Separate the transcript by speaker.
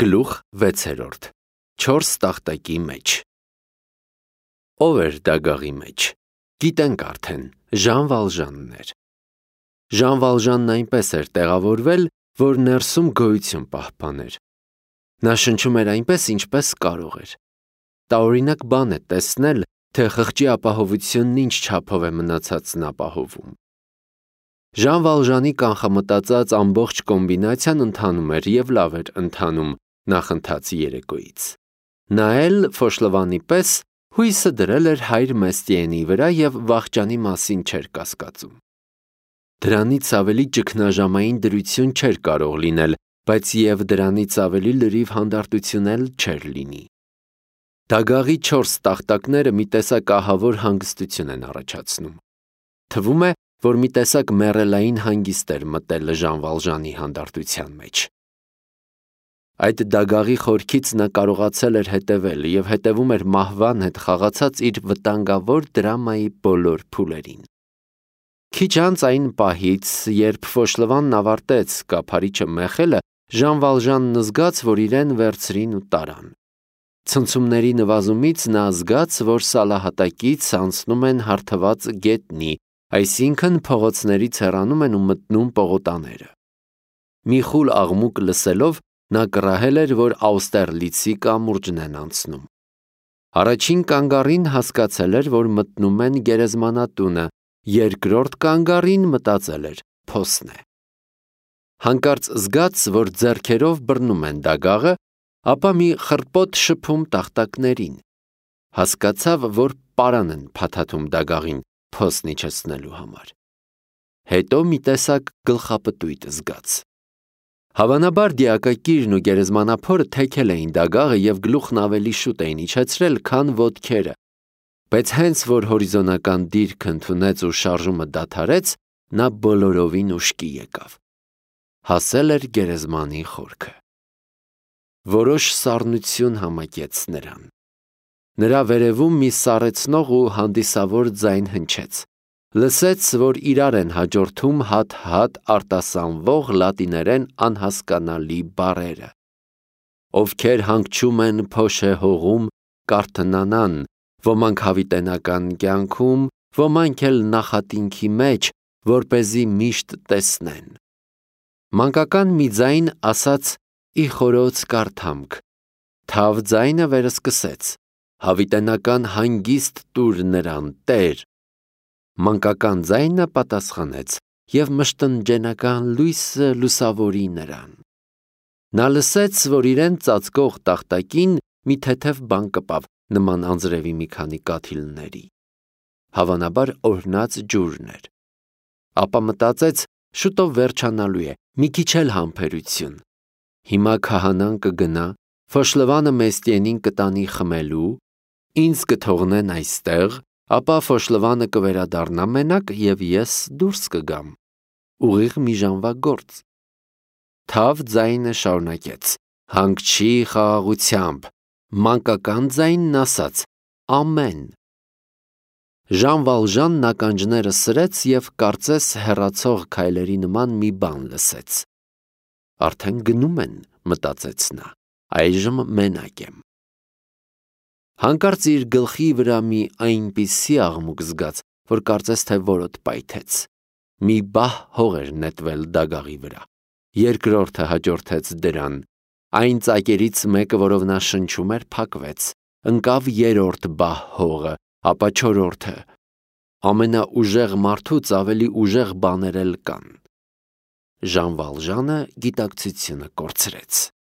Speaker 1: Գլուխ 6. 4 տախտակի մեջ։ Ով էր դագաղի մեջ։ Գիտենք արդեն, Ժան Վալժանն էր։ Ժան Վալժանն այնպես էր տեղավորվել, որ ներսում գոյություն պահպաներ։ Նա շնչում էր այնպես, ինչպես կարող էր։ Տարօրինակ բան է տեսնել, թե խղճի ապահովությունն ինչ չափով է մնացածն ապահովում։ Ժան Վալժանի կանխամտածած ամբողջ կոմբինացիան ընթանում էր և լավ էր ընթանում նախընթաց երեկոյից։ Նա էլ Ֆոշլովանի պես հույսը դրել էր հայր Մեստիենի վրա և վախճանի մասին չէր կասկածում։ Դրանից ավելի ճգնաժամային դրություն չէր կարող լինել, բայց և դրանից ավելի լրիվ հանդարտություն էլ չէր լինի։ Դագաղի 4 տախտակները մի տեսակ ահավոր հանգստություն են առաջացնում։ Թվում է, որ մի տեսակ մեռելային հանգիստ էր մտել Ժան Վալժանի հանդարտության մեջ։ Այդ դագաղի խորքից նա կարողացել էր հետևել և հետևում էր մահվան հետ խաղացած իր վտանգավոր դրամայի բոլոր փուլերին։ Քիչ անց այն պահից, երբ Ֆոշլովանն ավարտեց կափարիչը մեխելը, Ժան Վալժանն զգաց, որ իրեն վերցրին ու տարան։ Ցնցումների նվազումից նա զգաց, որ սալահատակից անցնում են հարթված գետնի, այսինքն փողոցներից հեռանում են ու մտնում պողոտաները։ Մի խուլ աղմուկ լսելով, նա կռահել էր, որ Աուստերլիցի կամուրջն են անցնում։ Առաջին կանգառին հասկացել էր, որ մտնում են գերեզմանատունը, երկրորդ կանգառին մտածել էր փոսն է։ Հանկարծ զգաց, որ ձեռքերով բռնում են դագաղը, ապա մի խռպոտ շփում տախտակներին։ Հասկացավ, որ պարան են փաթաթում դագաղին փոսն իջեցնելու համար։ Հետո մի տեսակ գլխապտույտ զգաց։ Հավանաբար դիակակիրն ու գերեզմանափորը թեքել էին դագաղը և գլուխն ավելի շուտ էին իջեցրել, քան ոտքերը, բայց հենց որ հորիզոնական դիրք ընդունեց ու շարժումը դադարեց, նա բոլորովին ուշքի եկավ։ Հասել էր գերեզմանի խորքը։ Որոշ սառնություն համակեց նրան։ Նրա վերևում մի սառեցնող ու հանդիսավոր ձայն հնչեց։ Լսեց, որ իրար են հաջորդում հատ-հատ արտասանվող լատիներեն անհասկանալի բառերը։ Ովքեր հանգչում են փոշե հողում, կարթնանան, ոմանք հավիտենական կյանքում, ոմանք էլ նախատինքի մեջ, որպեսզի միշտ տեսնեն։ Մանկական մի ձայն ասաց. «Ի խորոց կարդամք», թավ ձայնը վերսկսեց. «Հավիտենական հանգիստ տուր նրան, Տեր»։ Մանկական ձայնը պատասխանեց. «Եվ մշտնջենական լույսը լուսավորի նրան»։ Նա լսեց, որ իրեն ծածկող տախտակին մի թեթև բան կպավ, նման անձրևի մի քանի կաթիլների։ Հավանաբար օրհնած ջուրն էր։ Ապա մտածեց, շուտով վերջանալու է, մի քիչ էլ համբերություն։ Հիմա քահանան կգնա, Ֆոշլովանը Մեստիենին կտանի խմելու, ինձ կթողնեն այստեղ, ապա Ֆոշլովանը կվերադառնա մենակ և ես դուրս կգամ։ Ուղիղ մի ժամվա գործ։ Թավ ձայնը շարունակեց. «Հանգչի խաղաղությամբ», մանկական ձայնն ասաց. «Ամեն»։ Ժան Վալժանն ականջները սրեց և կարծես հեռացող քայլերի նման մի բան լսեց։ Արդեն գնում են, մտածեց նա, այժմ մենակ եմ։ Հանկարծ իր գլխի վրա մի այնպիսի աղմուկ զգաց, որ կարծես թե որոտ պայթեց։ Մի բահ հող էր նետվել դագաղի վրա։ Երկրորդը հաջորդեց դրան։ Այն ծակերից մեկը, որով նա շնչում էր, փակվեց։ Ընկավ երրորդ բահ հողը, ապա չորրորդը։ Ամենաուժեղ մարդուց ավելի ուժեղ բաներ էլ կան։ Ժան Վալժանը գիտակցությունը կորցրեց։